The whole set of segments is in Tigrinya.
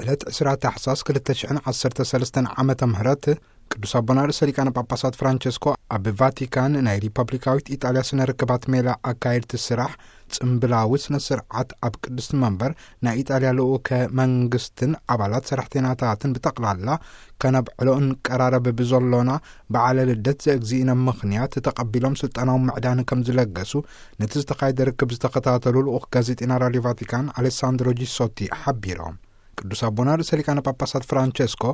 ዕለት ዕስራ ታሕሳስ ክልተ ሽሕን ዓሰርተ ሰለስተን ዓመተ ምህረት ቅዱስ ኣቦና ርእሰ ሊቃነ ጳጳሳት ፍራንቸስኮ ኣብ ቫቲካን ናይ ሪፐብሊካዊት ኢጣልያ ስነ ርክባት ሜላ ኣካየድቲ ስራሕ ጽምብላዊ ስነ ስርዓት ኣብ ቅድስቲ መንበር ናይ ኢጣልያ ልኡከ መንግስትን ኣባላት ሰራሕተኛታትን ብጠቕላላ ከነብዕሎ እንቀራረብ ብዘሎና በዓለ ልደት ዘእግዚእነ ምኽንያት ተቐቢሎም ስልጣናዊ ምዕዳን ከም ዝለገሱ ነቲ ዝተኻየደ ርክብ ዝተኸታተሉ ልኡኽ ጋዜጠኛ ራድዮ ቫቲካን ኣሌሳንድሮ ጂሶቲ ሓቢሮም። ቅዱስ ኣቦና ርእሰ ሊቃነ ጳጳሳት ፍራንቸስኮ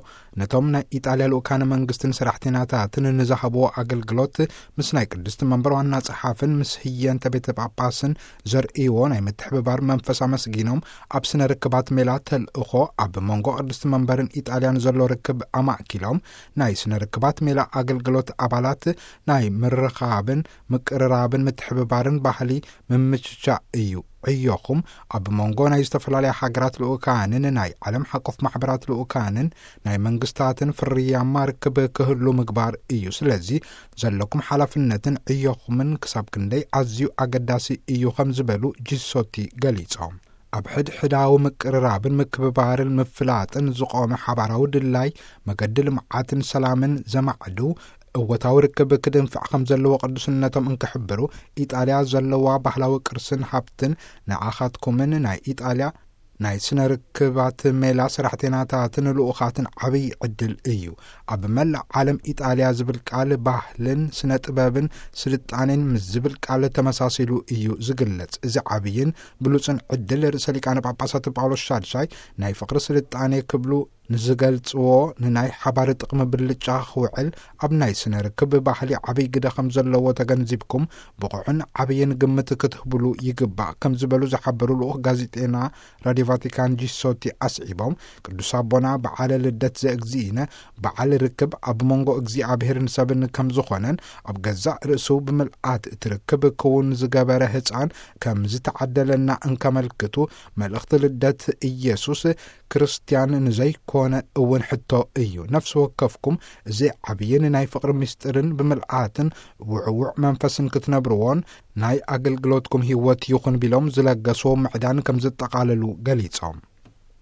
ነቶም ናይ ኢጣልያ ልኡካነ መንግስትን ሰራሕተኛታትን ንዝሃብዎ ኣገልግሎት ምስ ናይ ቅድስቲ መንበር ዋና ጸሓፍን ምስ ህየንተ ቤተ ጳጳስን ዘርእይዎ ናይ ምትሕብባር መንፈስ ኣመስጊኖም፣ ኣብ ስነ ርክባት ሜላ ተልእኾ ኣብ መንጎ ቅድስቲ መንበርን ኢጣልያን ዘሎ ርክብ ኣማእኪሎም፣ ናይ ስነ ርክባት ሜላ ኣገልግሎት ኣባላት ናይ ምርኻብን ምቅርራብን ምትሕብባርን ባህሊ ምምችቻ እዩ። ዕዮኹም ኣብ መንጎ ናይ ዝተፈላለያ ሃገራት ልኡካንን ናይ ዓለም ሓቆፍ ማሕበራት ልኡካንን ናይ መንግስታትን ፍርያማ ርክብ ክህሉ ምግባር እዩ። ስለዚ ዘለኩም ሓላፍነትን ዕዮኹምን ክሳብ ክንደይ ኣዝዩ ኣገዳሲ እዩ ከም ዝበሉ ጂሶቲ ገሊጾም። ኣብ ሕድሕዳዊ ምቅርራብን ምክብባርን ምፍላጥን ዝቖመ ሓባራዊ ድላይ መገዲ ልምዓትን ሰላምን ዘማዕዱ እወታዊ ርክብ ክድንፍዕ ከም ዘለዎ ቅዱስነቶም እንክሕብሩ፣ ኢጣልያ ዘለዋ ባህላዊ ቅርስን ሃብትን ንዓኻትኩምን ናይ ኢጣልያ ናይ ስነ ርክባት ሜላ ሰራሕተኛታትን ልኡኻትን ዓብይ ዕድል እዩ። ኣብ መላእ ዓለም ኢጣልያ ዝብል ቃል ባህልን ስነ ጥበብን ስልጣኔን ምስ ዝብል ቃል ተመሳሲሉ እዩ ዝግለጽ። እዚ ዓብይን ብሉጽን ዕድል ርእሰ ሊቃነ ጳጳሳት ጳውሎስ ሻድሻይ ናይ ፍቕሪ ስልጣኔ ክብሉ ንዝገልጽዎ ንናይ ሓባር ጥቕሚ ብልጫ ክውዕል ኣብ ናይ ስነ ርክብ ባህሊ ዓብይ ግደ ከም ዘለዎ ተገንዚብኩም ብቑዕን ዓብይን ግምት ክትህብሉ ይግባእ ከም ዝበሉ ዝሓበሩ ልኡኽ ጋዜጠና ራድዮ ቫቲካን ጂሶቲ ኣስዒቦም፣ ቅዱስ ኣቦና በዓለ ልደት ዘእግዚእነ በዓል ርክብ ኣብ መንጎ እግዚኣብሔርን ሰብን ከም ዝኾነን ኣብ ገዛእ ርእሱ ብምልኣት እቲ ርክብ ክውን ዝገበረ ህፃን ከም ዝተዓደለና እንከመልክቱ፣ መልእኽቲ ልደት ኢየሱስ ክርስትያን ንዘይኮነ እውን ሕቶ እዩ። ነፍሲ ወከፍኩም እዚ ዓብይን ናይ ፍቕሪ ምስጢርን ብምልኣትን ውዕውዕ መንፈስን ክትነብርዎን ናይ ኣገልግሎትኩም ህይወት ይኹን ቢሎም ዝለገስዎ ምዕዳን ከም ዝጠቓለሉ ገሊጾም።